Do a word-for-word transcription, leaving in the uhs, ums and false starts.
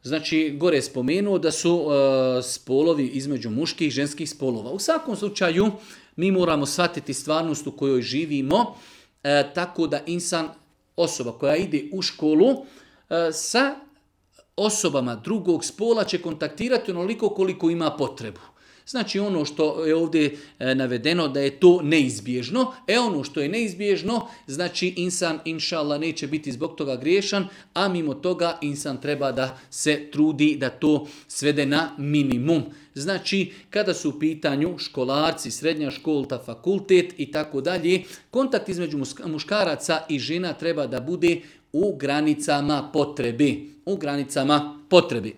Znači, gore je spomenuo da su uh, spolovi između muških i ženskih spolova. U svakom slučaju, mi moramo shvatiti stvarnost u kojoj živimo, uh, tako da insan, osoba koja ide u školu, uh, sa osobama drugog spola će kontaktirati onoliko koliko ima potrebu. Znači ono što je ovdje navedeno da je to neizbježno, e ono što je neizbježno, znači insan inša Allah neće biti zbog toga griješan, a mimo toga insan treba da se trudi da to svede na minimum. Znači kada su u pitanju školarci, srednja školta, fakultet i tako dalje, kontakt između muškaraca i žena treba da bude u granicama potrebe. U granicama potrebe.